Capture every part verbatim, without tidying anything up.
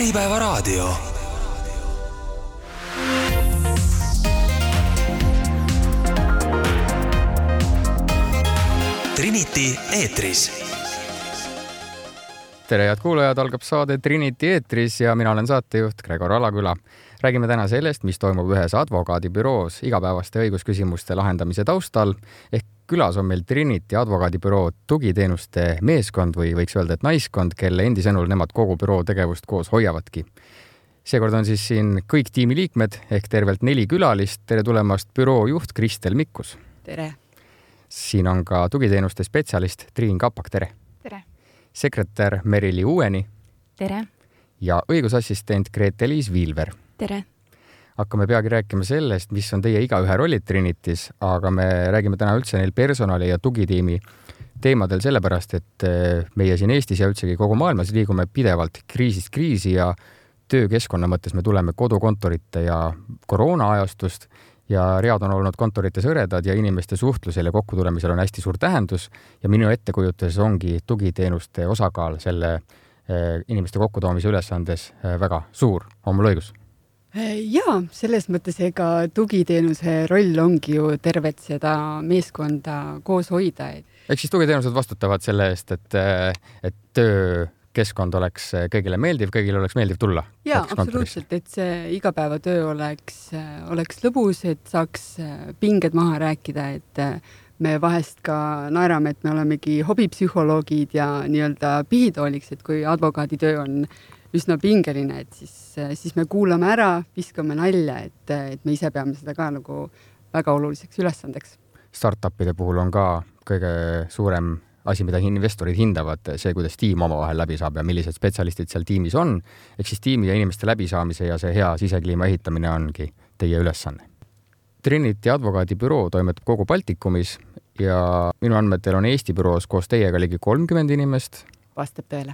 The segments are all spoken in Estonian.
Äripäevaraadio. Trinity eetris. Tere head kuulajad, algab saade Trinity eetris ja mina olen saatejuht Gregor Alaküla. Räägime täna sellest, mis toimub ühes advokaadibüroos igapäevaste õigusküsimuste lahendamise taustal. Ehk külas on meil Trinity advokaadibüroo tugiteenuste meeskond või võiks öelda, et naiskond, kelle endi sõnul nemad kogu büroo tegevust koos hoiavadki. Seekord on siis siin kõik tiimi liikmed ehk tervelt neli külalist. Tere tulemast büroo juht Kristel Mikkus. Tere. Siin on ka tugiteenuste spetsialist Triin Kapak, tere. Tere. Sekretär Merili Uueni. Tere. Ja õigusassistent Grete-Liis Viilver. Tere. Hakkame peagi rääkima sellest, mis on teie igaühe rollid Trinitis, aga me räägime täna üldse neil personali ja tugitiimi teemadel sellepärast, et meie siin Eestis ja üldsegi kogu maailmas liigume pidevalt kriisist kriisi ja töökeskkonna mõttes me tuleme kodukontorite ja koroona ajastust ja read on olnud kontorites hõredad ja inimeste suhtlusel ja kokkutulemisel on hästi suur tähendus ja minu ettekujutuses ongi tugiteenuste osakaal selle inimeste kokkutoomise ülesandes väga suur. On mul õigus? Jaa, selles mõttes ega tugiteenuse roll ongi ju tervet seda meeskonda koos hoida. Ehk siis tugiteenused vastutavad selle eest, et, et töökeskkond oleks kõigile meeldiv, kõigile oleks meeldiv tulla. Jaa, absoluutselt, et see igapäevatöö oleks, oleks lõbus, et saaks pinged maha rääkida, et me vahest ka naerame, et me olemegi hobipsühholoogid ja nii-öelda pihitooliks, et kui advokaaditöö on üsna pingeline, et siis, siis me kuulame ära, viskame nalja, et, et me ise peame seda ka nagu väga oluliseks ülesandeks. Startupide puhul on ka kõige suurem asi, mida investorid hindavad, see, kuidas tiim omavahel läbi saab ja millised spetsialistid seal tiimis on. Ehk siis tiimi ja inimeste läbisaamise ja see hea sisekliima ehitamine ongi teie ülesanne. Trinity advokaadibüroo toimetab kogu Baltikumis ja minu andmetel on Eesti büroos koos teiega ligi kolmkümmend inimest. Vastab tõele.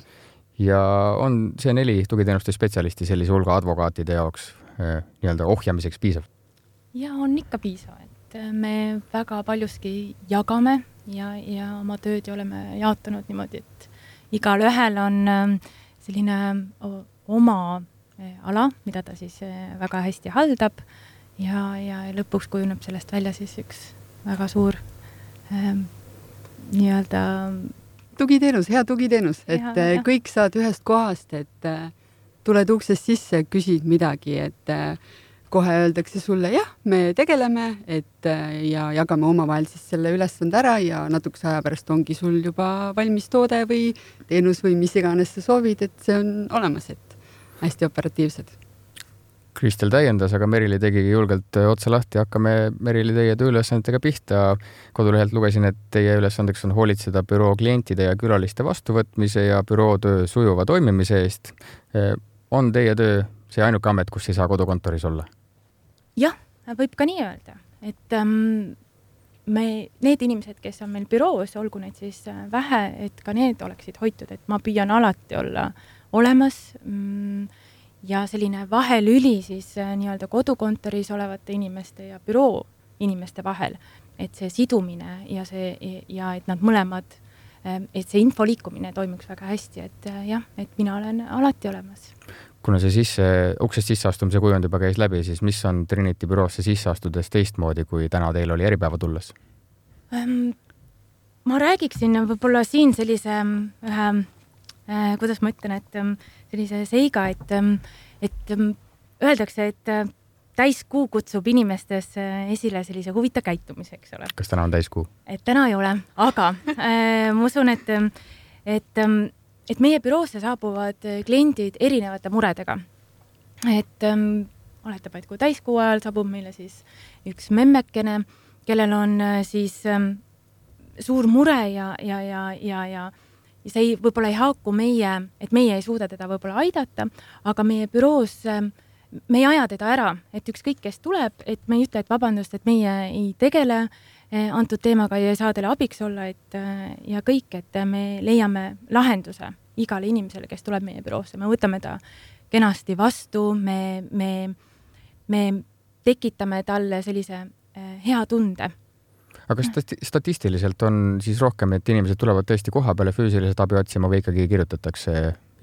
Ja on see neli tugiteenuste spetsialisti sellise hulga advokaatide jaoks eh, nii-öelda ohjamiseks piisav? Ja on ikka piisav, et me väga paljuski jagame ja, ja oma tööd ja oleme jaotanud niimoodi, et igal ühel on selline oma ala, mida ta siis väga hästi haldab ja, ja lõpuks kujuneb sellest välja siis üks väga suur eh, nii-öelda tugiteenus, hea tugiteenus, et ja, ja. kõik saad ühest kohast, et tuled uksest sisse, küsid midagi, et kohe öeldakse sulle, jah, me tegeleme, et ja jagame omavahel siis selle ülesande ära ja natukese aja pärast ongi sul juba valmis toode või teenus või mis iganes sa soovid, et see on olemas, et hästi operatiivsed. Kristel täiendas, aga Merili tegigi julgelt otsa lahti. Hakkame Merili teie tööülesandega pihta. Kodulehelt lugesin, et teie ülesandeks on hoolitseda büroo klientide ja külaliste vastuvõtmise ja büroo töö sujuva toimimise eest. On teie töö see ainuke amet, kus ei saa kodukontoris olla? Jah, võib ka nii öelda, et ähm, me, need inimesed, kes on meil büroos, olgu neid siis vähe, et ka need oleksid hoitud, et ma püüan alati olla olemas mm, ja selline vahelüli siis nii-öelda kodukontoris olevate inimeste ja büroo inimeste vahel, et see sidumine ja see ja et nad mõlemad, et see info liikumine toimuks väga hästi, et jah, et mina olen alati olemas. Kuna see sisse, uksest sisseastumise kujund juba käis läbi, siis mis on Trinity büroosse sisse astudes teistmoodi, kui täna teil oli eripäeva tulles? Ma räägiksin võib-olla siin sellise ühe kuidas ma ütlen, et sellise seiga, et, et öeldakse, et täiskuu kutsub inimestes esile sellise huvita käitumise, eks ole. Kas täna on täiskuu? Et täna ei ole, aga äh, ma usun, et, et, et meie büroosse saabuvad kliendid erinevate muredega. Et ähm, oletab, et kui täiskuu ajal saabub meile siis üks memmekene, kellel on siis ähm, suur mure ja, ja, ja, ja, ja ja see ei, võib-olla ei haaku meie, et meie ei suuda teda võib-olla aidata, aga meie büroos me ei aja teda ära, et ükskõik kes tuleb, et me ei ütle, et vabandust, et meie ei tegele antud teemaga ja ei saa teile abiks olla, et ja kõik, et me leiame lahenduse igale inimesele, kes tuleb meie büroosse. Me võtame ta kenasti vastu, me, me, me tekitame talle sellise hea tunde. Aga stati- statistiliselt on siis rohkem, et inimesed tulevad tõesti koha peale füüsiliselt abi otsima või ikkagi kirjutatakse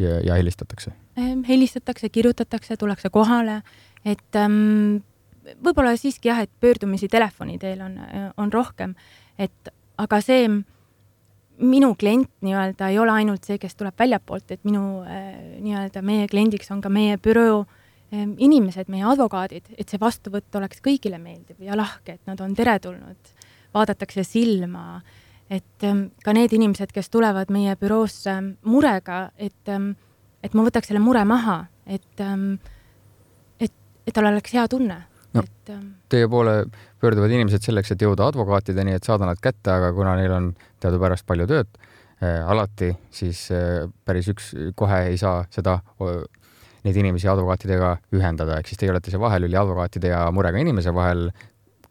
ja, ja helistatakse? helistatakse, kirjutatakse, tullakse kohale, et ähm, võib-olla siiski jah, et pöördumisi telefoni teel on, on rohkem, et aga see minu klient nii-öelda ei ole ainult see, kes tuleb väljapoolt, et minu äh, nii-öelda meie kliendiks on ka meie büroo äh, inimesed, meie advokaadid, et see vastuvõtt oleks kõigile meeldiv ja lahke, et nad on teretulnud, vaadatakse silma, et ähm, ka need inimesed, kes tulevad meie büroosse murega, et, ähm, et ma võtaks selle mure maha, et, ähm, et, et tal oleks hea tunne. No, et, ähm, teie poole pöörduvad inimesed selleks, et jõuda advokaatideni, et saada nad kätte, aga kuna neil on teadupärast palju tööd äh, alati, siis äh, päris üks kohe ei saa seda äh, neid inimesi advokaatidega ühendada, ehk siis teie olete see vahelüli advokaatide ja murega inimese vahel.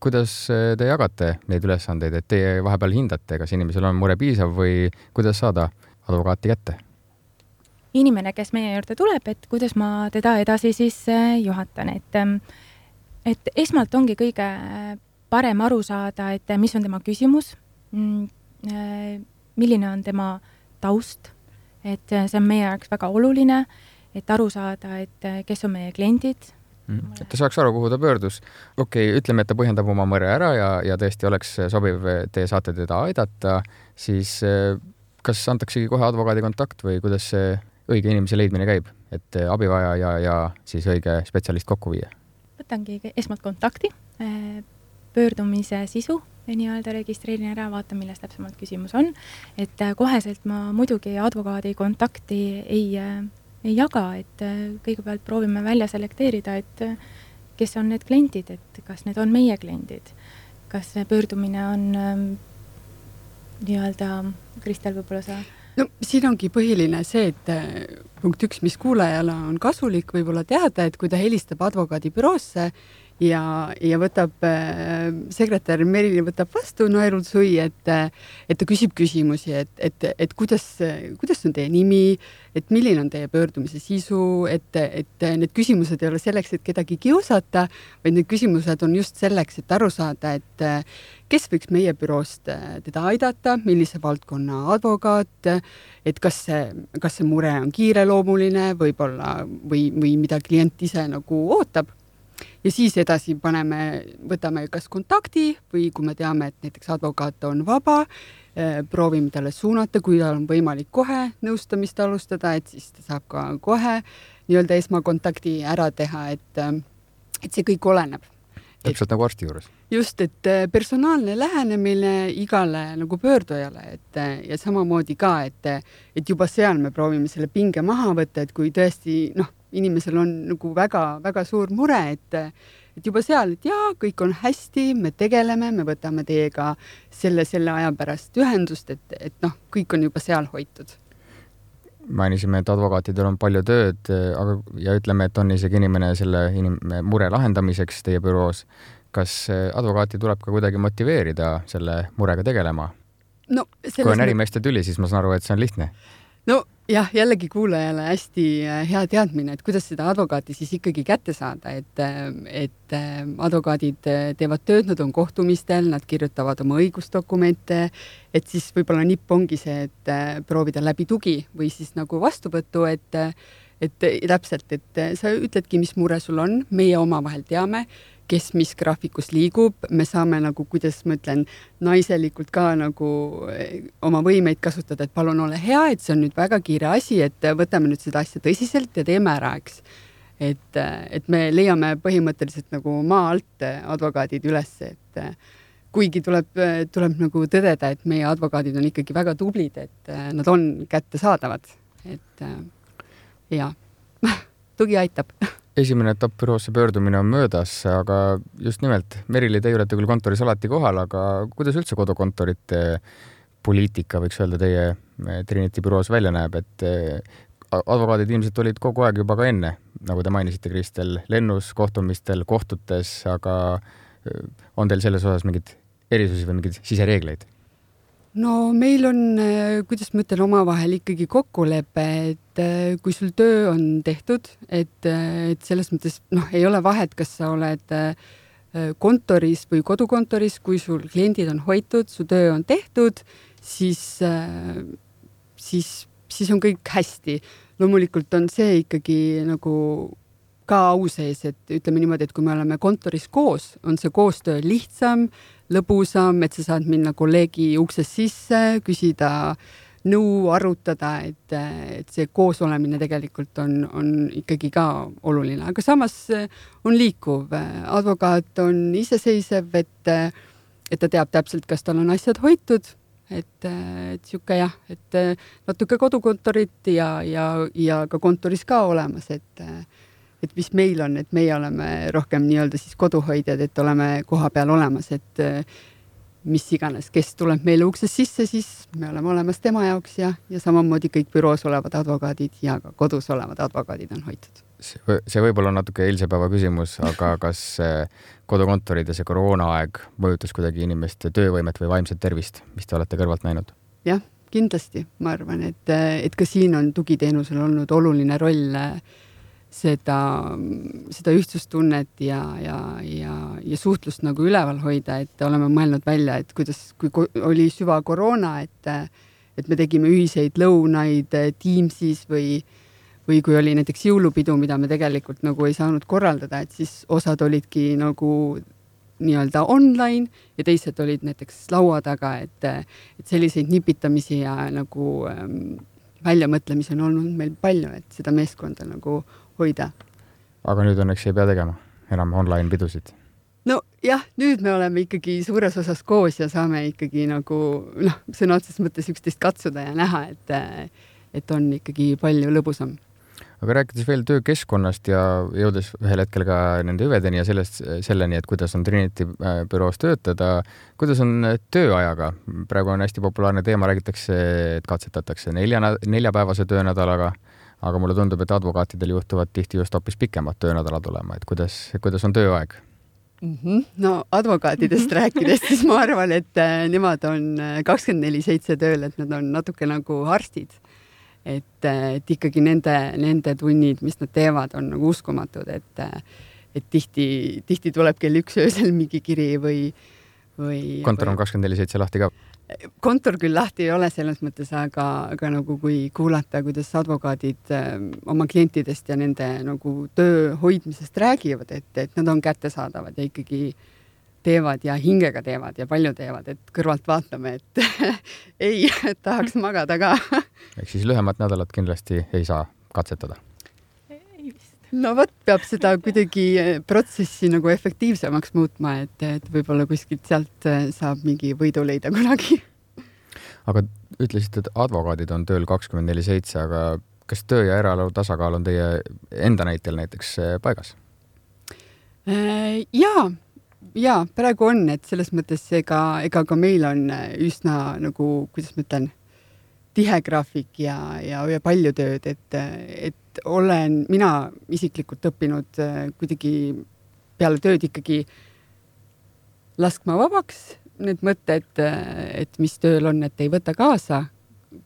Kuidas te jagate neid ülesandeid, et teie vahepeal hindate, kas inimesel on mure piisav või kuidas saada advokaati kätte? Inimene, kes meie juurde tuleb, et kuidas ma teda edasi siis juhatan, et, et esmalt ongi kõige parem aru saada, et mis on tema küsimus, milline on tema taust, et see on meie jaoks väga oluline, et aru saada, et kes on meie kliendid. Et ta saaks aru, kuhu ta pöördus. Okei, okay, ütleme, et ta põhjendab oma mõre ära ja, ja tõesti oleks sobiv, te saate teda aidata, siis kas antaksegi kohe advokaadi kontakt või kuidas see õige inimese leidmine käib, et abivaja ja, ja siis õige spetsialist kokku viia? Võtangi esmalt kontakti, pöördumise sisu nii-öelda registreerin ära, vaatan, milles täpsemalt küsimus on, et koheselt ma muidugi advokaadi kontakti ei ei jaga, et kõigepealt proovime välja selekteerida, et kes on need kliendid, et kas need on meie kliendid, kas pöördumine on ähm, nii-öelda, Kristel, võib-olla sa... No siin ongi põhiline see, et punkt üks, mis kuulajale on kasulik võib-olla teada, et kui ta helistab advokaadi büroosse ja, ja võtab äh, sekretär Merili võtab vastu naerul sui, et, et ta küsib küsimusi, et, et, et kuidas, kuidas on teie nimi, et milline on teie pöördumise sisu, et, et need küsimused ei ole selleks, et kedagi kiusata, vaid need küsimused on just selleks, et aru saada, et kes võiks meie büroost teda aidata, millise valdkonna advokaat, et kas see, kas see mure on kiireloomuline võib-olla või, või mida klient ise nagu ootab. Ja siis edasi paneme, võtame kas kontakti või kui me teame, et näiteks advokaat on vaba, proovime talle suunata, kui tal on võimalik kohe nõustamist alustada, et siis ta saab ka kohe nii-öelda esmakontakti ära teha, et, et see kõik oleneb. Täpselt nagu arsti juures. Just, et personaalne lähenemine igale nagu pöördujale, et ja samamoodi ka, et, et juba seal me proovime selle pinge maha võtta, et kui tõesti, noh, inimesel on nagu väga, väga suur mure, et, et juba seal, et jaa, kõik on hästi, me tegeleme, me võtame teiega selle, selle aja pärast ühendust, et, et noh, kõik on juba seal hoitud. Mainisime, et advokaatidel on palju tööd, aga ja ütleme, et on isegi inimene selle inim, mure lahendamiseks teie büroos. Kas advokaati tuleb ka kuidagi motiveerida selle murega tegelema? No, kui on ärimeeste tüli, siis ma saan aru, et see on lihtne. No jah, jällegi kuulajale hästi hea teadmine, et kuidas seda advokaati siis ikkagi kätte saada, et, et advokaadid teevad tööd, nad on kohtumistel, nad kirjutavad oma õigusdokumente, et siis võib-olla nipp ongi see, et proovida läbi tugi või siis nagu vastuvõttu, et, et täpselt, et sa ütledki, mis mure sul on, meie omavahel teame, kes mis graafikus liigub, me saame nagu, kuidas ma ütlen, naiselikult ka nagu oma võimeid kasutada, et palun ole hea, et see on nüüd väga kiire asi, et võtame nüüd seda asja tõsiselt ja teeme ära, eks. Et, et me leiame põhimõtteliselt nagu maa alt advokaadid üles, et kuigi tuleb, tuleb nagu tõdeda, et meie advokaadid on ikkagi väga tublid, et nad on kättesaadavad, et ja, tugi aitab. Esimene etapp büroosse pöördumine on möödas, aga just nimelt, Merili, teie olete küll kontoris alati kohal, aga kuidas üldse kodukontorite poliitika, võiks öelda, teie Trinity büroos välja näeb, et advokaadid ilmselt olid kogu aeg juba ka enne, nagu te mainisite, Kristel, lennus, kohtumistel, kohtutes, aga on teil selles osas mingid erisusi või mingid sisereegleid? No meil on, kuidas ma ütlen, omavahel ikkagi kokkulepe, et kui sul töö on tehtud, et, et selles mõttes noh, ei ole vahet, kas sa oled kontoris või kodukontoris, kui sul kliendid on hoitud, su töö on tehtud, siis, siis, siis on kõik hästi. loomulikult on see ikkagi nagu ka au sees, et ütleme niimoodi, et kui me oleme kontoris koos, on see koostöö lihtsam, lõbusam, et sa saad minna kolleegi uksest sisse, küsida nõu, arutada, et, et see koosolemine tegelikult on, on ikkagi ka oluline, aga samas on liikuv. Advokaat on iseseisev, et, et ta teab täpselt, kas tal on asjad hoitud, et, et siuke jah, et natuke kodukontorit ja, ja, ja ka kontoris ka olemas, et et mis meil on, et meie oleme rohkem nii-öelda siis koduhoidjad, et oleme koha peal olemas, et mis iganes, kes tuleb meile uksest sisse, siis me oleme olemas tema jaoks ja, ja samamoodi kõik büroos olevad advokaadid ja ka kodus olevad advokaadid on hoitud. See võib-olla on natuke eilse päeva küsimus, aga kas kodukontorid ja see koroonaaeg mõjutas kuidagi inimeste töövõimet või vaimset tervist, mis te olete kõrvalt näinud? Jah, kindlasti. Ma arvan, et, et ka siin on tugiteenusel olnud oluline roll seda, seda ühtsustunnet ja, ja, ja, ja suhtlust nagu üleval hoida, et oleme mõelnud välja, et kuidas, kui oli süva koroona, et, et me tegime ühiseid lõunaid Teamsis või, või kui oli näiteks jõulupidu, mida me tegelikult nagu ei saanud korraldada, et siis osad olidki nagu nii-öelda online ja teised olid näiteks laua taga, et, et selliseid nipitamisi ja nagu ähm, väljamõtlemisi on olnud meil palju, et seda meeskonda nagu hoida. Aga nüüd õnneks ei pea tegema enam online pidusid? No jah, nüüd me oleme ikkagi suures osas koos ja saame ikkagi nagu, noh, sõna otseses mõttes üksteist katsuda ja näha, et, et on ikkagi palju lõbusam. Aga rääkides veel töökeskkonnast ja jõudes ühel hetkel ka nende hüvedeni ja sellest, selleni, et kuidas on Trinity büroos töötada, kuidas on tööajaga? Praegu on hästi populaarne teema, räägitakse, et katsetatakse nelja, neljapäevase töönädalaga, aga mulle tundub, et advokaatidel juhtuvad tihti just hoopis pikemad töönädalad olema, et kuidas, kuidas on tööaeg? Mm-hmm. No advokaatidest rääkides, siis ma arvan, et nemad on kakskümmend neli seitse tööl, et nad on natuke nagu arstid. Et, et ikkagi nende, nende tunnid, mis nad teevad, on nagu uskumatud, et, et tihti, tihti tuleb kell üks öösel mingi kiri või, või... Kontor on kakskümmend neli seitse lahti ka? Kontor küll lahti ei ole selles mõttes, aga, aga nagu kui kuulata, kuidas advokaadid oma klientidest ja nende nagu töö hoidmisest räägivad, et, et nad on kättesaadavad ja ikkagi teevad ja hingega teevad ja palju teevad, et kõrvalt vaatame, et ei, et tahaks magada ka. Ehk siis lühemat nädalat kindlasti ei saa katsetada? No võt, peab seda kuidagi protsessi nagu efektiivsemaks muutma, et, et võib-olla kuskilt sealt saab mingi võidu leida kunagi. Aga ütlesite, et advokaadid on tööl kakskümmend neli seitse, aga kas töö ja eraelu tasakaal on teie enda näitel näiteks paigas? Jaa, jaa, praegu on, et selles mõttes ega, ega ka meil on üsna nagu, kuidas ma ütlen, tihe graafik ja, ja, ja palju tööd, et, et olen mina isiklikult õppinud kuidagi peale tööd ikkagi laskma vabaks need mõtted, et mis tööl on, et ei võta kaasa,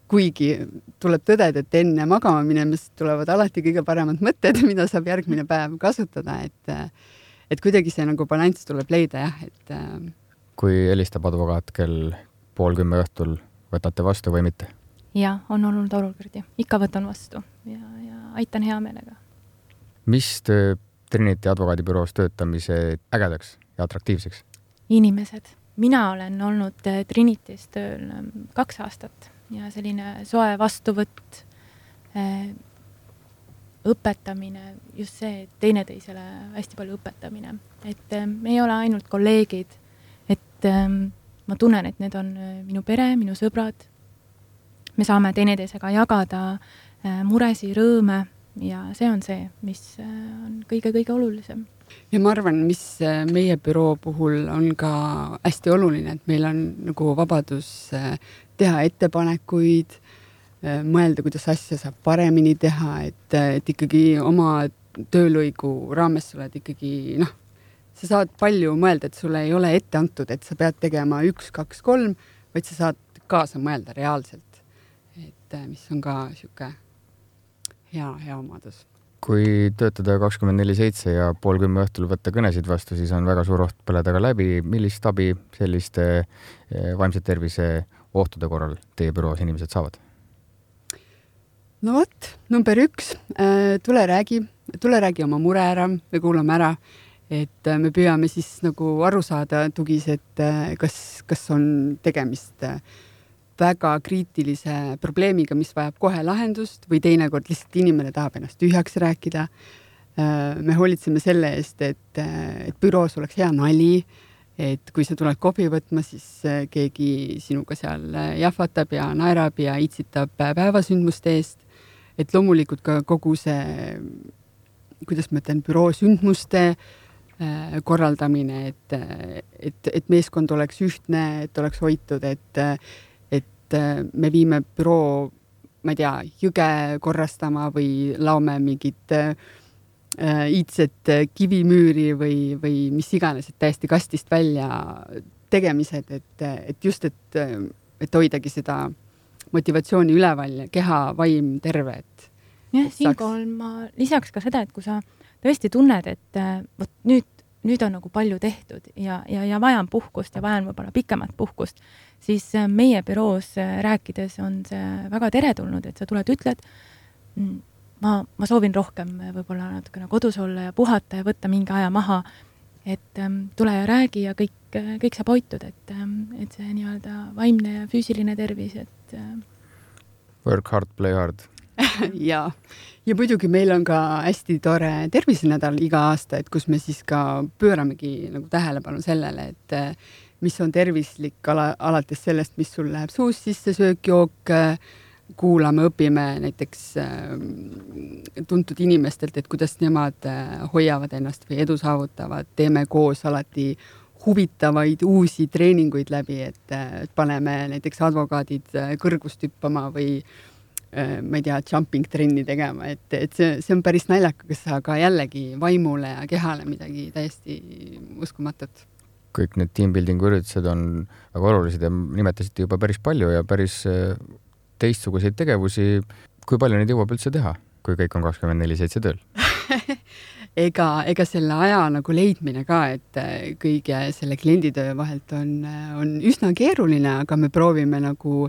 kuigi tuleb tõdeda, et enne magama minemist tulevad alati kõige paremad mõtted, mida saab järgmine päev kasutada, et, et kuidagi see nagu balanss tuleb leida, jah. Et... Kui helistab advokaat kell pool kümme õhtul, võtate vastu või mitte? Ja, on olnud olukordi. Ikka võtan vastu ja, ja aitan hea meelega. Mis töö Trinity advokaadibüroos töötamise ägedaks ja atraktiivseks? Inimesed. Mina olen olnud Trinity's tööl kaks aastat ja selline soe vastuvõtt, õpetamine, just see teineteisele hästi palju õpetamine. Et me ei ole ainult kolleegid, et ma tunnen, et need on minu pere, minu sõbrad. Me saame teineteisega jagada muresi, rõõme ja see on see, mis on kõige-kõige olulisem. Ja ma arvan, mis meie büroo puhul on ka hästi oluline, et meil on nagu vabadus teha ettepanekuid, mõelda, kuidas asja saab paremini teha, et, et ikkagi oma töölõigu raames sa oled ikkagi, noh, sa saad palju mõelda, et sulle ei ole ette antud, et sa pead tegema üks, kaks, kolm, vaid sa saad kaasa mõelda reaalselt. Et mis on ka siuke hea, hea omadus. Kui töötada kakskümmend neli seitse ja pool kümme õhtul võtta kõnesid vastu, siis on väga suur oht põleda ka läbi. Millist abi selliste vaimse tervise ohtude korral teie büroos inimesed saavad? no vot, number üks, tule räägi, tule räägi oma mure ära, me kuulame ära, et me püüame siis nagu aru saada tugis, et kas, kas on tegemist väga kriitilise probleemiga, mis vajab kohe lahendust või teinekord lihtsalt inimene tahab ennast tühjaks rääkida. Me hoolitseme selle eest, et, et büroos oleks hea nali, et kui sa tuled kohvi võtma, siis keegi sinuga seal jahvatab ja naerab ja itsitab päevasündmuste eest. Et loomulikult ka kogu see, kuidas ma ütlen, büroo sündmuste korraldamine, et, et, et meeskond oleks ühtne, et oleks hoitud, et, et me viime büroo, ma ei tea, jõge korrastama või laome mingit iidset kivimüüri või, või mis iganes, et täiesti kastist välja tegemised, et, et just, et, et hoidagi seda motivatsiooni üleval ja keha, vaim terve. Et, jah, siinkohal ma lisaks ka seda, et kui sa tõesti tunned, et võt, nüüd, nüüd on nagu palju tehtud ja, ja, ja vajan puhkust ja vajan võib-olla pikemat puhkust, siis meie büroos rääkides on see väga teretulnud, et sa tuled, ütled, ma, ma soovin rohkem võib-olla natukene kodus olla ja puhata ja võtta mingi aja maha, et ähm, tule ja räägi ja kõik, kõik saab hoitud, et, ähm, et see nii-öelda vaimne ja füüsiline tervis, et äh... work hard, play hard. ja, ja muidugi meil on ka hästi tore tervisenädal iga aasta, et kus me siis ka pööramegi nagu tähelepanu sellele, et äh, mis on tervislik ala, alates sellest, mis sul läheb suus sisse, söök, jook, äh, kuulame, õpime näiteks äh, tuntud inimestelt, et kuidas nemad äh, hoiavad ennast või edu saavutavad, teeme koos alati huvitavaid uusi treeninguid läbi, et äh, paneme näiteks advokaadid äh, kõrgust hüppama või äh, ma ei tea, jumping trenni tegema, et, et see, see on päris naljakas, aga jällegi vaimule ja kehale midagi täiesti uskumatut. Kõik need teambuildingu üritused on väga olulised ja nimetasite juba päris palju ja päris äh, teistsuguseid tegevusi, kui palju neid jõuab üldse teha, kui kõik on kakskümmend neli seitse tööl? ega, ega selle aja nagu leidmine ka, et kõige selle klienditöö vahelt on, on üsna keeruline, aga me proovime nagu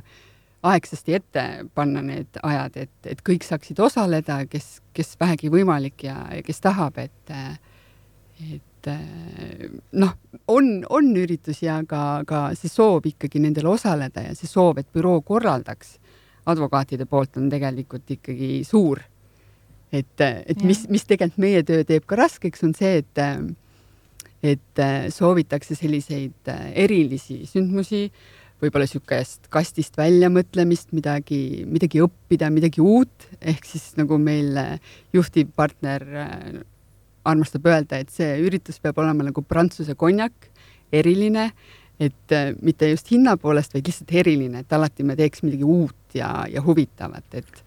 aegsasti ette panna need ajad, et, et kõik saaksid osaleda, kes, kes vähegi võimalik ja, ja kes tahab, et, et noh, on, on üritusi, aga, aga see soov ikkagi nendel osaleda ja see soov, et büroo korraldaks advokaatide poolt on tegelikult ikkagi suur. Et, et mis, mis tegelikult meie töö teeb ka raskeks, on see, et, et soovitakse selliseid erilisi sündmusi, võib-olla sükest kastist välja mõtlemist, midagi, midagi õppida, midagi uut, ehk siis nagu meil juhtiv partner armastab öelda, et see üritus peab olema nagu prantsuse konjak, eriline, et mitte just hinna poolest, vaid lihtsalt eriline, et alati me teeks midagi uut ja, ja huvitavat. Et...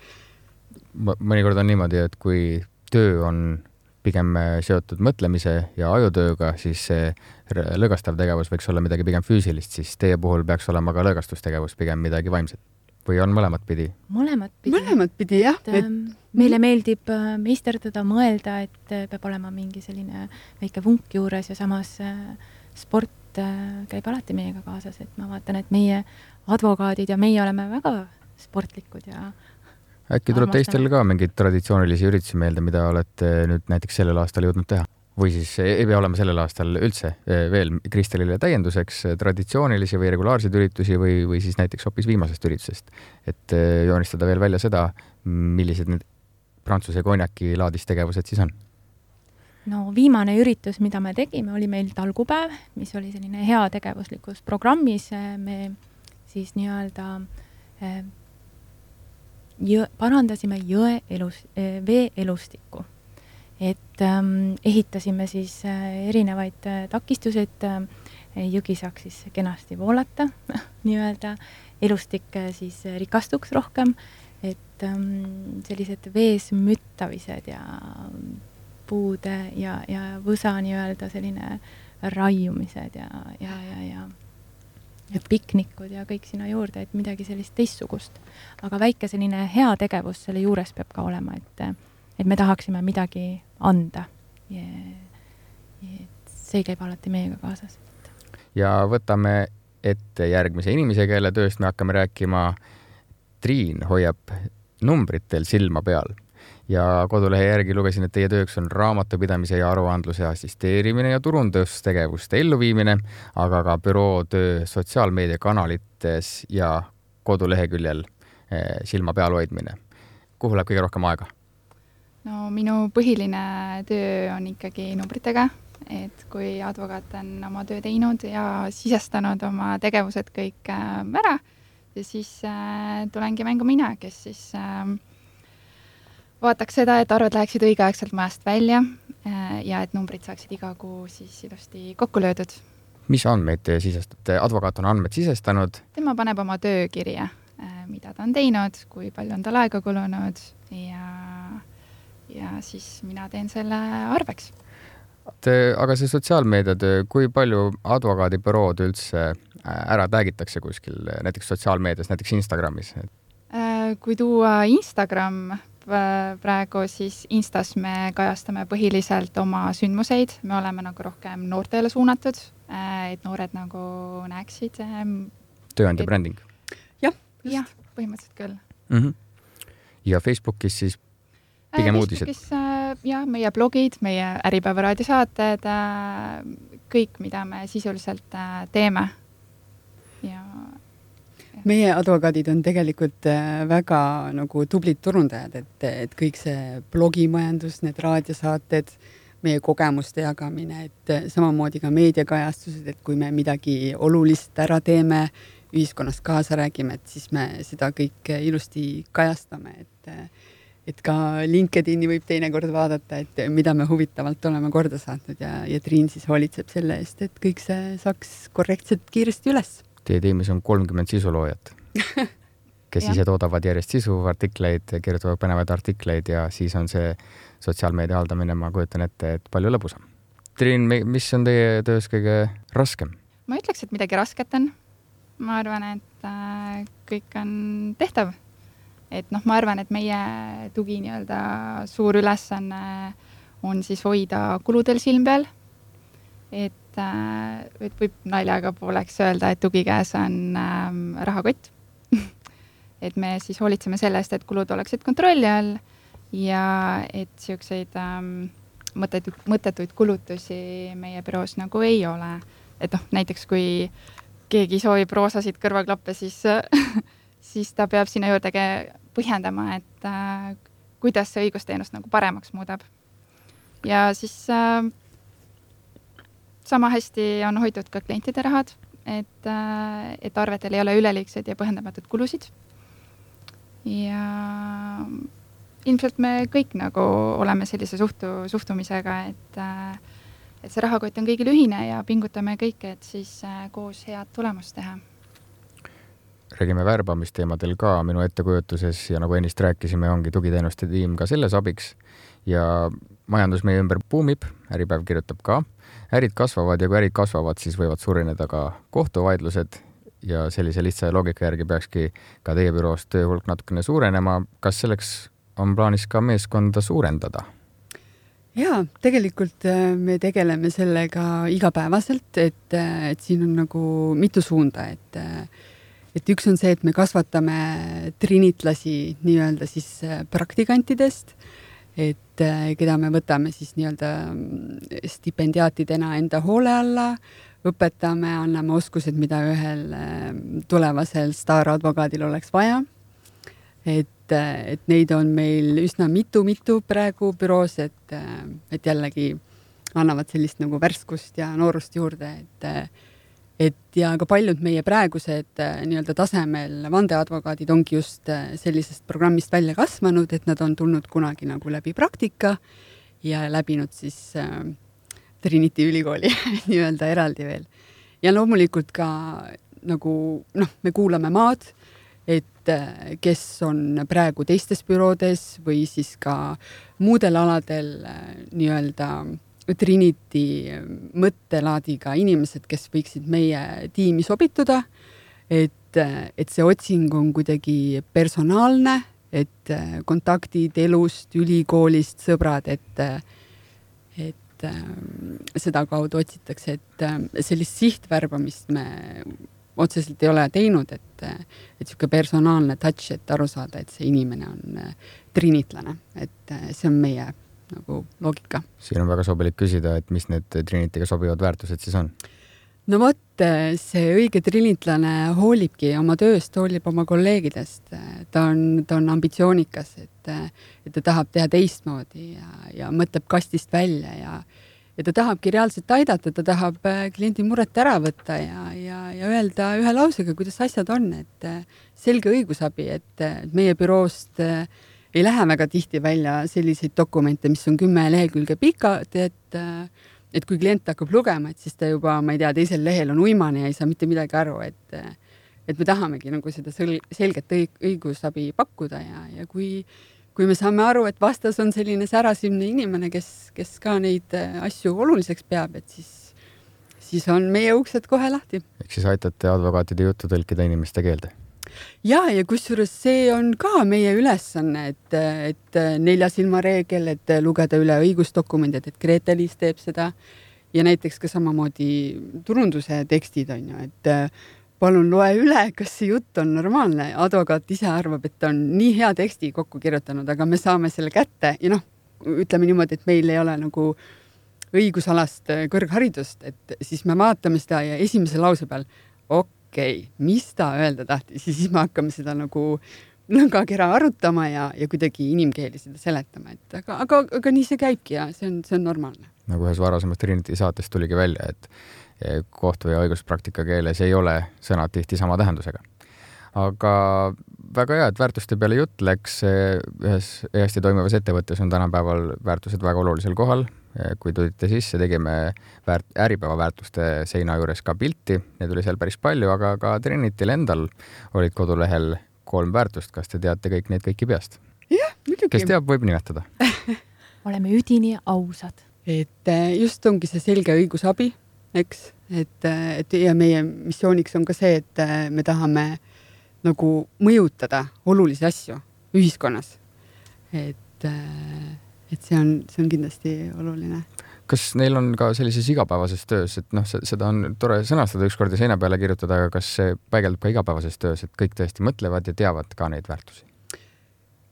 mõnikord on niimoodi, et kui töö on pigem seotud mõtlemise ja ajutööga, siis see lõõgastav tegevus võiks olla midagi pigem füüsilist, siis teie puhul peaks olema ka lõõgastustegevus pigem midagi vaimset. Või on mõlemat pidi? Mõlemat pidi. Mõlemat pidi, jah. Et, et... Meile meeldib meisterdada, mõelda, et peab olema mingi selline väike vunk juures ja samas sport käib alati meiega kaasas, et ma vaatan, et meie advokaadid ja meie oleme väga sportlikud ja äkki tuleb teistel ka mingeid traditsioonilisi üritusi meelde, mida olete nüüd näiteks sellel aastal jõudnud teha? Või siis ei pea olema sellel aastal üldse veel Kristelile täienduseks traditsioonilisi või regulaarseid üritusi või, või siis näiteks hoopis viimasest üritusest, et joonistada veel välja seda, millised need prantsuse konjaki laadis tegevused siis on? No viimane üritus, mida me tegime, oli meil talgupäev, mis oli selline hea tegevuslikus programmis. Me siis nii-öelda jõ, parandasime jõe elus, vee elustikku. Et ähm, ehitasime siis erinevaid takistusi, et jõgi saaks siis kenasti voolata, nii-öelda elustik siis rikastuks rohkem, et ähm, sellised vees müttamised ja puude ja, ja võsa nii-öelda selline raiumised ja, ja, ja, ja, ja piknikud ja kõik sinna juurde, et midagi sellist teistsugust. Aga väike selline hea tegevus selle juures peab ka olema, et, et me tahaksime midagi anda. Ja, ja see käib alati meiega kaasas. Ja võtame ette järgmise inimese, kelle tööst me hakkame rääkima. Triin hoiab numbritel silma peal. Ja kodulehe järgi lugesin, et teie tööks on raamatupidamise ja aruandluse assisteerimine ja turundustegevuste elluviimine, aga ka büroo töö sotsiaalmeediakanalites ja koduleheküljel silma peal hoidmine. Kuhu läheb kõige rohkem aega? No minu põhiline töö on ikkagi numbritega, et kui advokaat on oma töö teinud ja sisestanud oma tegevused kõik ära, ja siis tulengi mängu mina, kes siis vaataks seda, et arved läheksid õigeaegselt majast välja ja et numbrid saaksid iga kuu siis ilusti kokku löödud. Mis andmeid te sisestate? Advokaat on andmed sisestanud? Tema paneb oma töökirja, mida ta on teinud, kui palju on tal aega kulunud ja, ja siis mina teen selle arveks. Te, aga see sotsiaalmeediatöö, kui palju advokaadibürood üldse ära täägitakse kuskil, näiteks sotsiaalmeedias, näiteks Instagramis? Kui tuua Instagram praegu, siis Instas me kajastame põhiliselt oma sündmuseid, me oleme nagu rohkem noortele suunatud, et noored nagu näeksid. Tööandja bränding? Jah, jah, põhimõtteliselt küll. Mm-hmm. Ja Facebookis siis pigem uudised? Facebookis jah, meie blogid, meie Äripäeva raadiosaated, kõik, mida me sisuliselt teeme. Ja meie advokaadid on tegelikult väga nagu tublid turundajad, et, et kõik see blogimajandus, need raadiosaated, meie kogemuste jagamine, et samamoodi ka meediakajastused, et kui me midagi olulist ära teeme, ühiskonnas kaasa räägime, et siis me seda kõik ilusti kajastame, et, et ka LinkedIni võib teinekord vaadata, et mida me huvitavalt oleme korda saatnud ja, ja Triin siis hoolitseb selle eest, et kõik see saaks korrektselt kiiresti üles. Teie tiimis on kolmkümmend sisuloojat, kes ise toodavad järjest sisu, artikleid, kirjutavad põnevaid artikleid ja siis on see sotsiaalmeedia haldamine, ma kujutan ette, et palju lõbusam. Triin, mis on teie töös kõige raskem? Ma ütleks, et midagi rasket on. Ma arvan, et äh, kõik on tehtav. Et noh, ma arvan, et meie tugi nii-öelda suur ülesanne on siis hoida kuludel silm peal. Et et võib naljaga pooleks öelda, et tugikäes on ähm, rahakott. Et me siis hoolitseme selle eest, et kulud oleksid kontrolli all ja et siukseid ähm, mõttetuid, mõttetuid kulutusi meie büroos nagu ei ole. Et noh, näiteks kui keegi soovib roosasid kõrvaklappe, siis, siis ta peab sinna juurde põhjendama, et äh, kuidas see õigusteenust nagu paremaks muudab. Ja siis äh, sama hästi on hoitud ka klientide rahad, et, et arvetel ei ole üleliigsed ja põhjendamatud kulusid. Ja ilmselt me kõik nagu oleme sellise suhtu, suhtumisega, et, et see rahakott on kõigil ühine ja pingutame kõik, et siis koos head tulemust teha. Räägime värbamisteemadel ka minu ettekujutuses ja nagu ennist rääkisime, ongi tugiteenuste tiim ka selles abiks ja majandus meie ümber buumib, Äripäev kirjutab ka. Ärid kasvavad ja kui ärid kasvavad, siis võivad surineda ka kohtuvaidlused ja sellise lihtsa loogika järgi peakski ka teie büroos töö hulk natukene suurenema. Kas selleks on plaanis ka meeskonda suurendada? Jaa, tegelikult me tegeleme sellega igapäevaselt, et, et siin on nagu mitu suunda, et, et üks on see, et me kasvatame trinitlasi nii-öelda siis praktikantidest, et keda me võtame siis nii-öelda stipendiaatidena enda hoole alla, õpetame, anname oskused, mida ühel tulevasel staaradvokaadil oleks vaja. Et, et neid on meil üsna mitu-mitu praegu büroos, et, et jällegi annavad sellist nagu värskust ja noorust juurde, et Et ja ka paljud meie praegused nii-öelda tasemel vandeadvokaadid ongi just sellisest programmist välja kasvanud, et nad on tulnud kunagi nagu läbi praktika ja läbinud siis äh, Trinity ülikooli nii-öelda eraldi veel. Ja loomulikult ka nagu, noh, me kuulame maad, et äh, kes on praegu teistes büroodes või siis ka muudel aladel äh, nii-öelda Trinity mõttelaadiga inimesed, kes võiksid meie tiimi sobituda, et, et see otsing on kuidagi personaalne, et kontaktid elust, ülikoolist, sõbrad, et, et seda kaudu otsitakse, et sellist sihtvärbamist me otseselt ei ole teinud, et, et siuke personaalne touch, et aru saada, et see inimene on trinitlane, et see on meie nagu loogika. Siin on väga sobilik küsida, et mis need Trinitiga sobivad väärtused siis on? No vot, see õige trinitlane hoolibki oma tööst, hoolib oma kolleegidest. Ta on, ta on ambitsioonikas, et, et ta tahab teha teistmoodi ja, ja mõtleb kastist välja ja, ja ta tahabki reaalselt aidata, ta tahab kliendi muret ära võtta ja, ja, ja öelda ühe lausega, kuidas asjad on, et selge õigusabi, et meie büroost ei lähe väga tihti välja selliseid dokumente, mis on kümme lehekülge pikad, et et kui klient hakkab lugema, et siis ta juba, ma ei tea, teisel lehel on uimane ja ei saa mitte midagi aru, et, et me tahamegi nagu seda selget õigusabi pakkuda ja, ja kui, kui me saame aru, et vastas on selline särasimne inimene, kes, kes ka neid asju oluliseks peab, et siis, siis on meie uksed kohe lahti. Ehk siis aitate advokaatide juttu tõlkida inimeste keelde? Ja, ja kusjuures see on ka meie ülesanne, et, et nelja silma reegel, et lugeda üle õigusdokumendid, et Grete-Liis teeb seda ja näiteks ka samamoodi turunduse tekstid on ju, et palun loe üle, kas see jutt on normaalne. Advokaat ise arvab, et on nii hea teksti kokku kirjutanud, aga me saame selle kätte ja noh, ütleme niimoodi, et meil ei ole nagu õigusalast kõrgharidust, et siis me vaatame seda ja esimese lause peal, ok, okei, okay, mis ta öelda tahtis, siis me hakkame seda nagu nõngakera arutama ja, ja kuidagi inimkeeli seda seletama, et aga, aga, aga nii see käibki ja see on, see on normaalne. Nagu ühes varasemast Trinity saatest tuligi välja, et kohtu ja õiguspraktika keeles ei ole sõnad tihti sama tähendusega. Aga väga hea, et väärtuste peale jutt läks. Ühes hästi toimivas ettevõttes on tänapäeval väärtused väga olulisel kohal. Kui tulite sisse, tegime väärt, äripäeva väärtuste seina juures ka pilti. Need oli seal päris palju, aga ka Trinityl endal olid kodulehel kolm väärtust. Kas te teate kõik neid kõiki peast? Jah, muidugi. Kes teab, võib nimetada. Oleme üdini ausad. Et just ongi see selge õigusabi, eks? Et, et ja meie missiooniks on ka see, et me tahame nagu mõjutada olulisi asju ühiskonnas. Et et see on, see on kindlasti oluline. Kas neil on ka sellises igapäevases töös, et noh, seda on tore sõnastada ükskord ja seina peale kirjutada, aga kas see päigeldub ka igapäevases töös, et kõik tõesti mõtlevad ja teavad ka neid väärtusi?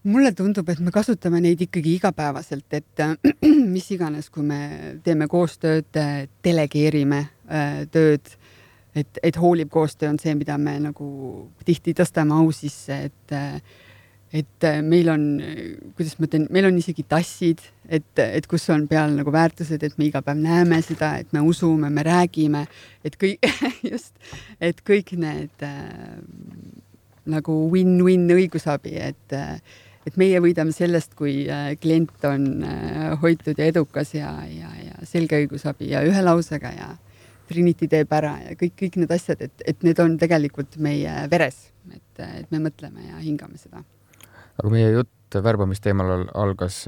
Mulle tundub, et me kasutame neid ikkagi igapäevaselt, et mis iganes, kui me teeme koostööd, delegeerime tööd, et, et hooliv koostöö on see, mida me nagu tihti tõstame au sisse, et et meil on, kuidas ma ütlen, meil on isegi tassid, et, et kus on peal nagu väärtused, et me iga päev näeme seda, et me usume, me räägime, et kõik, just, et kõik need äh, nagu win-win õigusabi, et, et meie võidame sellest, kui äh, klient on äh, hoitud ja edukas ja, ja, ja selge õigusabi ja ühe lausega ja Trinity teeb ära ja kõik, kõik need asjad, et, et need on tegelikult meie veres, et, et me mõtleme ja hingame seda. Aga meie jutt värbamisteemal algas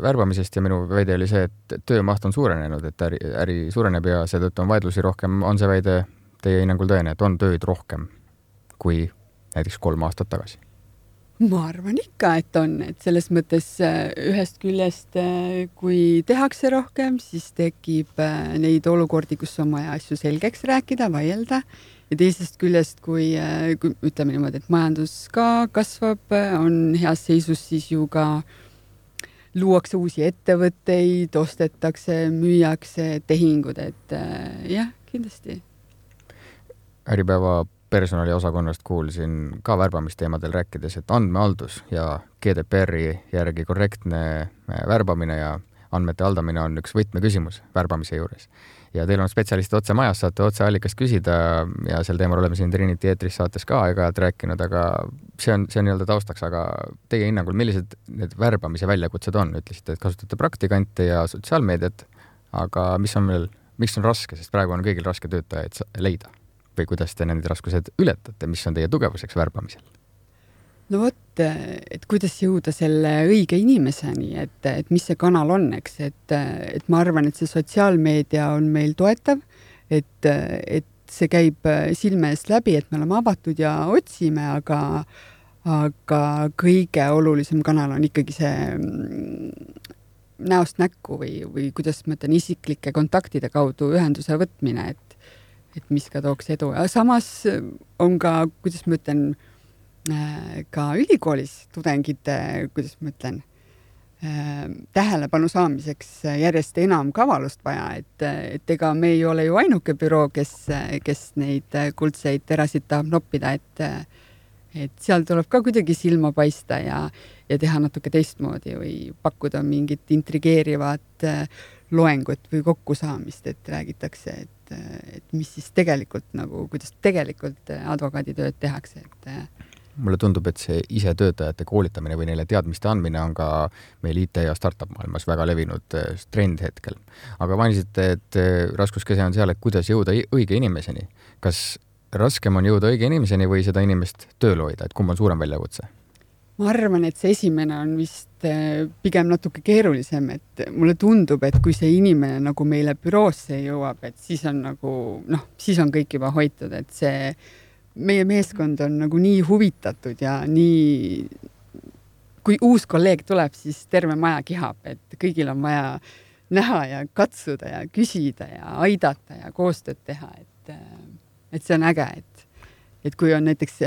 värbamisest ja minu väide oli see, et töömaht on suurenenud, et äri, äri suureneb ja seetõttu on vaidlusi rohkem. On see väide teie hinnangul tõene, et on tööd rohkem kui näiteks kolm aastat tagasi? Ma arvan ikka, et on, et selles mõttes ühest küljest, kui tehakse rohkem, siis tekib neid olukordi, kus on vaja asju selgeks rääkida, vaielda. Ja teisest küljest, kui, kui ütleme niimoodi, et majandus ka kasvab, on heas seisus, siis ju ka luuakse uusi ettevõtteid, ostetakse, müüakse tehingud, et jah, kindlasti. Äripäeva personaliosakonnast kuulsin ka värbamisteemadel rääkides, et andmehaldus ja G D P R-i järgi korrektne värbamine ja andmete haldamine on üks võtmeküsimus värbamise juures. Ja teil on spetsialistid otse majas, saate otse allikast küsida ja sel teemal oleme siin Trinity eetris saates ka aeg-ajalt rääkinud, aga see on, see on nii-öelda taustaks, aga teie hinnangul, millised need värbamise väljakutsed on? Ütlesite, et kasutate praktikante ja sotsiaalmeediat, aga mis on veel, miks on raske, sest praegu on kõigil raske töötajaid leida? Või kuidas te need raskused ületate, mis on teie tugevuseks värbamisel? No vot, et kuidas jõuda selle õige inimeseni, et, et mis see kanal on, eks, et, et ma arvan, et see sotsiaalmeedia on meil toetav, et, et see käib silme eest läbi, et me oleme avatud ja otsime, aga, aga kõige olulisem kanal on ikkagi see näost näkku või, või kuidas ma ütlen, isiklike kontaktide kaudu ühenduse võtmine, et et mis ka tooks edu. Ja samas on ka, kuidas ma ütlen, ka ülikoolis tudengite, kuidas ma ütlen, tähelepanu saamiseks järjest enam kavalust vaja, et, et ega me ei ole ju ainuke büroo, kes, kes neid kuldseid terasid tahab noppida, et, et seal tuleb ka kuidagi silma paista ja, ja teha natuke teistmoodi või pakkuda mingit intrigeerivat loengut või kokkusaamist, et räägitakse, et, et mis siis tegelikult nagu, kuidas tegelikult advokaaditööd tehakse, et mulle tundub, et see ise töötajate koolitamine või neile teadmiste andmine on ka meil I T ja startup maailmas väga levinud trend hetkel. Aga mainisite, et raskuskese on seal, et kuidas jõuda õige inimeseni. Kas raskem on jõuda õige inimeseni või seda inimest tööl hoida, et kumb on suurem väljakutse? Ma arvan, et see esimene on vist pigem natuke keerulisem, et mulle tundub, et kui see inimene nagu meile büroosse jõuab, et siis on nagu, noh, siis on kõik juba hoitud, et see meie meeskond on nagu nii huvitatud ja nii, kui uus kolleeg tuleb, siis terve maja kihab, et kõigil on vaja näha ja katsuda ja küsida ja aidata ja koostööd teha, et, et see on äge, et et kui on näiteks,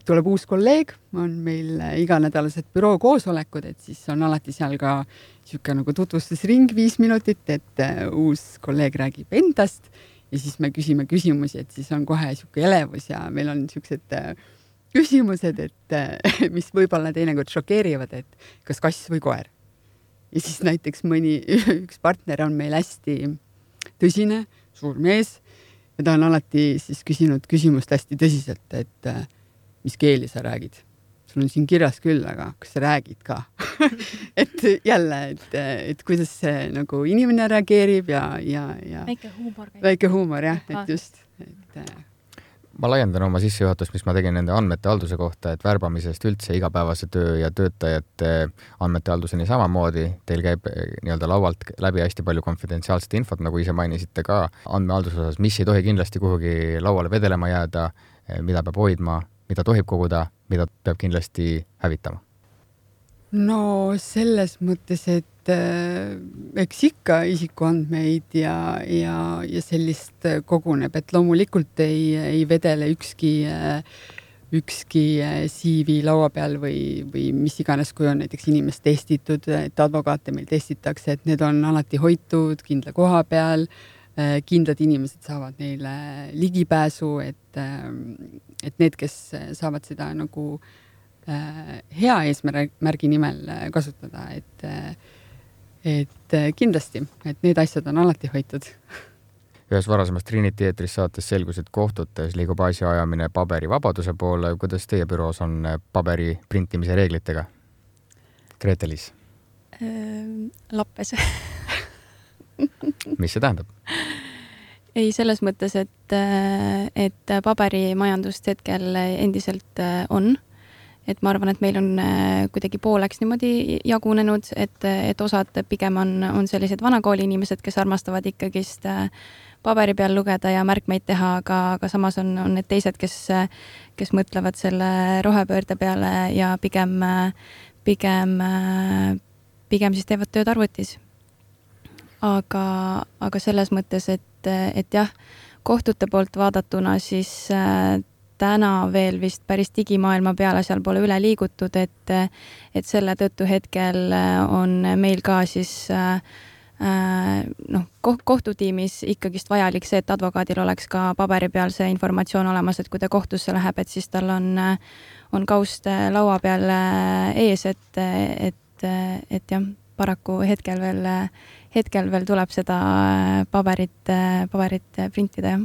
tuleb uus kolleeg, on meil iganädalased büroo koosolekud, et siis on alati seal ka siuke nagu tutvustusring viis minutit, et uus kolleeg räägib endast ja siis me küsime küsimusi, et siis on kohe siuke elevus ja meil on siuksed küsimused, et mis võib-olla teinekord šokeerivad, et kas kass või koer. Ja siis näiteks mõni, üks partner on meil hästi tõsine, suur mees, ja ta on alati siis küsinud küsimust hästi tõsiselt, et mis keeli sa räägid. Sul on siin kirjas küll, aga kas sa räägid ka? et jälle, et, et kuidas see nagu inimene reageerib ja, ja, ja väike huumor. Väike huumor, jah, et just. Et, ma laiendan oma sissejuhatust, mis ma tegin nende andmete halduse kohta, et värbamisest üldse igapäevase töö ja töötajate andmete halduseni samamoodi. Teil käib nii-öelda laualt läbi hästi palju konfidentsiaalset infot, nagu ise mainisite ka andmehalduse osas, mis ei tohi kindlasti kuhugi lauale vedelema jääda, mida peab hoidma, mida tohib koguda, mida peab kindlasti hävitama. No selles mõttes, et äh, eks ikka isikuandmeid ja, ja, ja sellist koguneb, et loomulikult ei, ei vedele ükski, ükski C V laua peal või, või mis iganes, kui on näiteks inimest testitud, et advokaate meil testitakse, et need on alati hoitud kindla koha peal, kindlad inimesed saavad neile ligipääsu, et, et need, kes saavad seda nagu hea eesmärgi nimel kasutada, et, et kindlasti, et need asjad on alati hoitud. Ühes varasemast Trinity eetris saates selgus, et kohtutes liigub asja ajamine paberi vabaduse poole. Kuidas teie büroos on paberi printimise reeglitega? Grete-Liis? Lappes. Mis see tähendab? Ei, selles mõttes, et, et paberimajandust hetkel endiselt on. Et ma arvan, et meil on kuidagi pooleks niimoodi jagunenud, et, et osad pigem on, on sellised vanakooli inimesed, kes armastavad ikkagist paberi peal lugeda ja märkmeid teha, aga, aga samas on, on need teised, kes, kes mõtlevad selle rohepöörde peale ja pigem, pigem, pigem siis teevad tööd arvutis. Aga, aga selles mõttes, et, et jah, kohtute poolt vaadatuna siis täna veel vist päris digimaailma peale seal pole üle liigutud, et, et selle tõttu hetkel on meil ka siis noh, kohtutiimis ikkagist vajalik see, et advokaadil oleks ka paberi peal see informatsioon olemas, et kui ta kohtusse läheb, et siis tal on, on kaust laua peal ees, et, et, et jah, paraku hetkel veel, hetkel veel tuleb seda paberit, paberit printida, jah.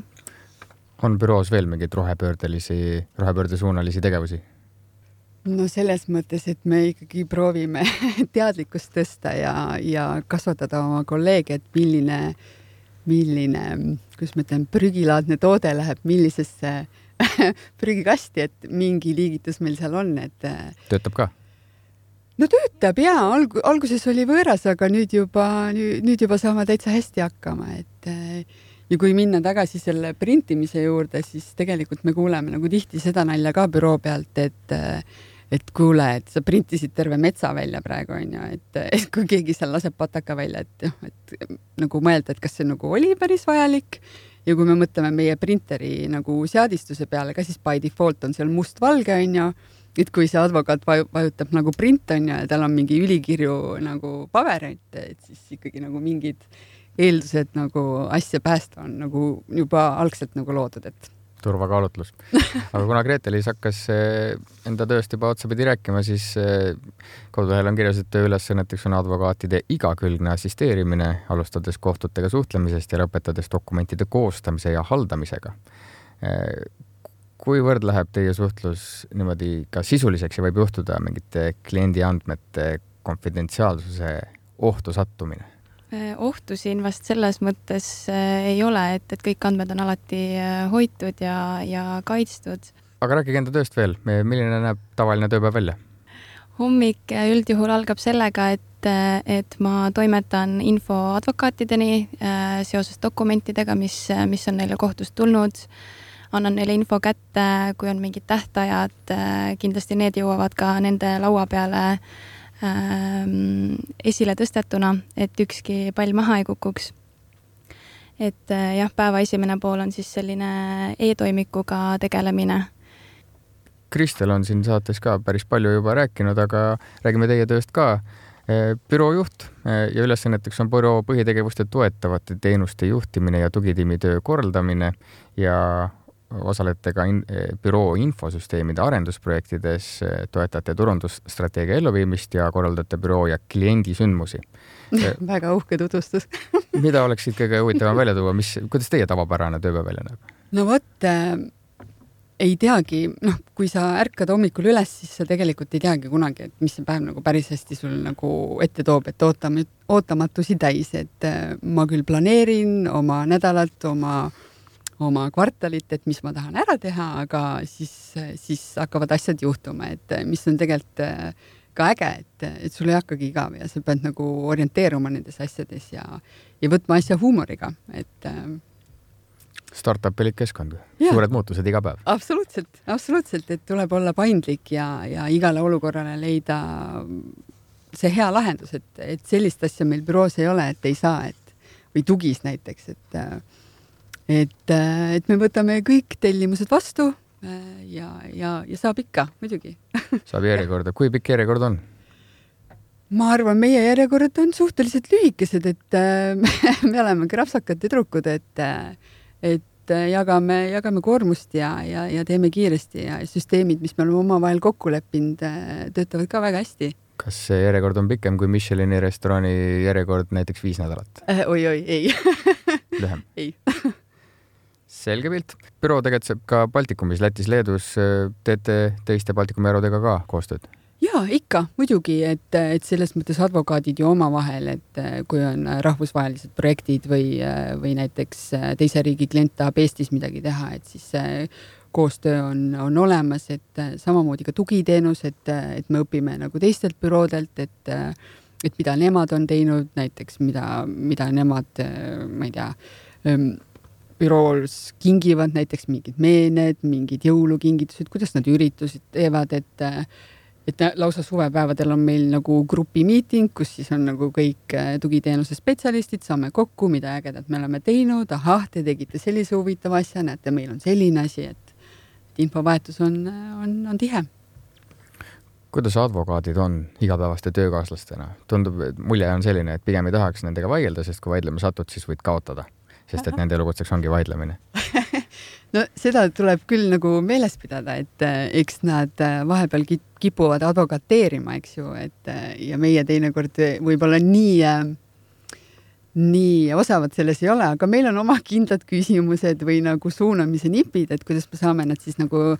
On büroos veel mingeid rohepöördelisi, rohepöördesuunalisi tegevusi? No selles mõttes, et me ikkagi proovime teadlikkust tõsta ja, ja kasvatada oma kolleege, et milline, milline, kus ma ütlen, prügilaadne toode läheb millisesse prügikasti, et mingi liigitus meil seal on. Et töötab ka? No töötab, jaa. Alg- alguses oli võõras, aga nüüd juba, nüüd juba saame täitsa hästi hakkama, et ja kui minna tagasi selle printimise juurde, siis tegelikult me kuuleme nagu tihti seda nalja ka büroo pealt, et, et kuule, et sa printisid terve metsa välja praegu, on ju, et, et kui keegi seal laseb pataka välja, et, et nagu mõelda, et kas see nagu oli päris vajalik ja kui me mõtleme meie printeri nagu seadistuse peale, ka siis by default on seal must-valge, on ju, et kui see advokaat vajutab nagu print, on ju, ja tal on mingi ülikirju nagu paber, et, et siis ikkagi nagu mingid eeldused nagu asja päästa on nagu juba algselt nagu loodud, et turvakaalutlus. Aga kuna Grete-Liis hakkas enda tööst juba otsapidi rääkima, siis kodulehel on kirjas, et tööülesanneteks on advokaatide igakülgne assisteerimine, alustades kohtutega suhtlemisest ja lõpetades dokumentide koostamise ja haldamisega. Kuivõrd läheb teie suhtlus niimoodi ka sisuliseks ja võib juhtuda mingite kliendi andmete konfidentsiaalsuse ohtu sattumine? Ohtu siin vast selles mõttes ei ole, et, et kõik andmed on alati hoitud ja, ja kaitstud. Aga rääkige enda tööst veel. Milline näeb tavaline tööpäev välja? Hommik üldjuhul algab sellega, et, et ma toimetan info advokaatideni seoses dokumentidega, mis, mis on neile kohtust tulnud. Annan neile info kätte, kui on mingid tähtajad. Kindlasti need jõuavad ka nende laua peale esile tõstetuna, et ükski pall maha ei kukuks. Et jah, päeva esimene pool on siis selline e-toimikuga tegelemine. Kristel on siin saates ka päris palju juba rääkinud, aga räägime teie tööst ka. Büroo juht ja ülesanneteks on büroo põhitegevuste toetavate teenuste juhtimine ja tugitiimi töö korraldamine ja osalete ka in, büroo infosüsteemide arendusprojektides, toetate turundusstrateegia elluviimist ja korraldate büroo ja kliendisündmusi. Väga uhke tutvustus. Mida oleks siit kõige huvitavam välja tuua? Mis, kuidas teie tavapärane tööpäev välja näeb? No vot, äh, ei teagi, noh, kui sa ärkad hommikul üles, siis sa tegelikult ei teagi kunagi, et mis see päev nagu päris hästi sul nagu ette toob, et ootam, ootamatusi täis, et äh, ma küll planeerin oma nädalat, oma oma kvartalit, et mis ma tahan ära teha, aga siis, siis hakkavad asjad juhtuma, et mis on tegelikult ka äge, et, et sul ei hakkagi igav ja sa pead nagu orienteeruma nendes asjades ja, ja võtma asja huumoriga, et startup-ilik keskkond, suured muutused iga päev. Absoluutselt, absoluutselt, et tuleb olla paindlik ja, ja igale olukorrale leida see hea lahendus, et, et sellist asja meil büroos ei ole, et ei saa, et või tugis näiteks, et Et, et me võtame kõik tellimused vastu ja, ja, ja saab ikka, muidugi. Saab järjekorda. Kui pikk järjekord on? Ma arvan, meie järjekorrad on suhteliselt lühikesed, et me oleme krapsakad tüdrukud, et, et jagame, jagame koormust ja, ja, ja teeme kiiresti ja süsteemid, mis me oleme omavahel kokku leppinud, töötavad ka väga hästi. Kas see järjekord on pikem kui Michelini restorani järjekord näiteks viis nädalat? Oi, oi, ei. Lühem? Ei. Selge pilt. Büroo tegutseb ka Baltikumis, Lätis, Leedus. Teete teiste Baltikumi erudega ka koostööd? Jaa, ikka, muidugi, et, et selles mõttes advokaadid ju omavahel, et kui on rahvusvahelised projektid või, või näiteks teise riigi klient tahab Eestis midagi teha, et siis koostöö on, on olemas, et samamoodi ka tugiteenus, et, et me õpime nagu teistelt büroodelt, et, et mida nemad on teinud, näiteks mida, mida nemad, ma ei tea, bürools kingivad näiteks mingid meened, mingid jõulukingitused, kuidas nad üritusid teevad, et, et lausa suvepäevadel on meil nagu grupimiiting, kus siis on nagu kõik tugiteenuse spetsialistid, saame kokku, mida ägedat me oleme teinud, ahah, te tegite sellise huvitava asja, näete, meil on selline asi, et, et infovahetus on, on, on tihe. Kuidas advokaadid on igapäevaste töökaaslastena? Tundub, et mulje on selline, et pigem ei tahaks nendega vaielda, sest kui vaidlema satud, siis võid kaotada. Sest et nende elukutseks ongi vaidlemine. No seda tuleb küll nagu meeles pidada, et eks nad vahepeal kipuvad advokateerima, eks ju, et ja meie teinekord võib-olla nii, nii osavad selles ei ole, aga meil on oma kindlad küsimused või nagu suunamise nipid, et kuidas me saame nad siis nagu,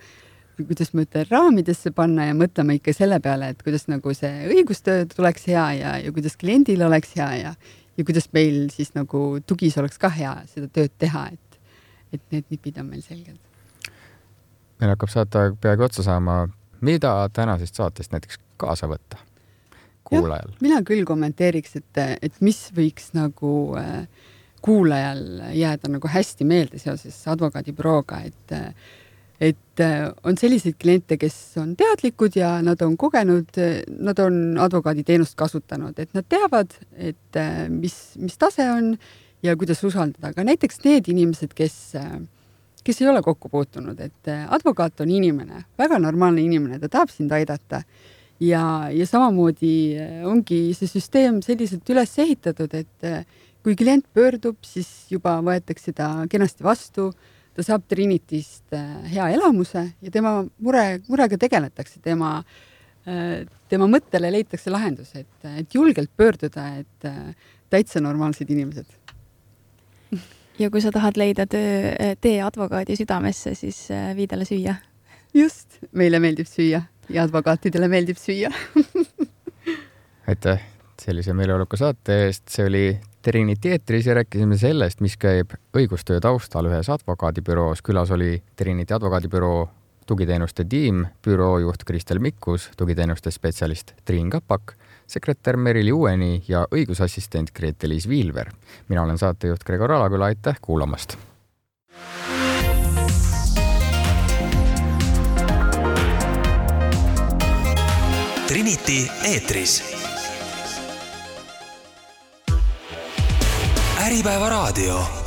kuidas ma ütlen, raamidesse panna ja mõtlema ikka selle peale, et kuidas nagu see õigustöö tuleks hea ja, ja kuidas kliendil oleks hea ja ja kuidas meil siis nagu tugis oleks ka hea seda tööd teha, et, et need nipid on meil selged. Meil hakkab saata peaaegu otsa saama. Mida tänasest saatest näiteks kaasa võtta kuulajal? Ja, mina küll kommenteeriks, et, et mis võiks nagu kuulajal jääda nagu hästi meelde seoses advokaadibürooga, et et on selliseid kliente, kes on teadlikud ja nad on kogenud, nad on advokaaditeenust kasutanud, et nad teavad, et mis, mis tase on ja kuidas usaldada, aga näiteks need inimesed, kes, kes ei ole kokku puutunud, et advokaat on inimene, väga normaalne inimene, ta tahab sind aidata ja, ja samamoodi ongi see süsteem selliselt üles ehitatud, et kui klient pöördub, siis juba võetakse ta kenasti vastu, ta saab Trinitist hea elamuse ja tema mure, murega tegeletakse, tema, tema mõttele leitakse lahendus, et, et julgelt pöörduda, et täitsa normaalsed inimesed. Ja kui sa tahad leida töö, tee advokaadi südamesse, siis vii talle süüa. Just, meile meeldib süüa ja advokaatidele meeldib süüa. Aitäh sellise meeleoluka saate eest. See oli Trinity eetris ja rääkisime sellest, mis käib õigustöö taustal ühes advokaadibüroos. Külas oli Trinity advokaadibüroo tugiteenuste tiim, büroojuht Kristel Mikkus, tugiteenuste spetsialist Triin Kapak, sekretär Merili Uueni ja õigusassistent Grete-Liis Viilver. Mina olen saatejuht Gregor Alaküla, aitäh kuulamast! Trinity eetris. Äripäeva raadio.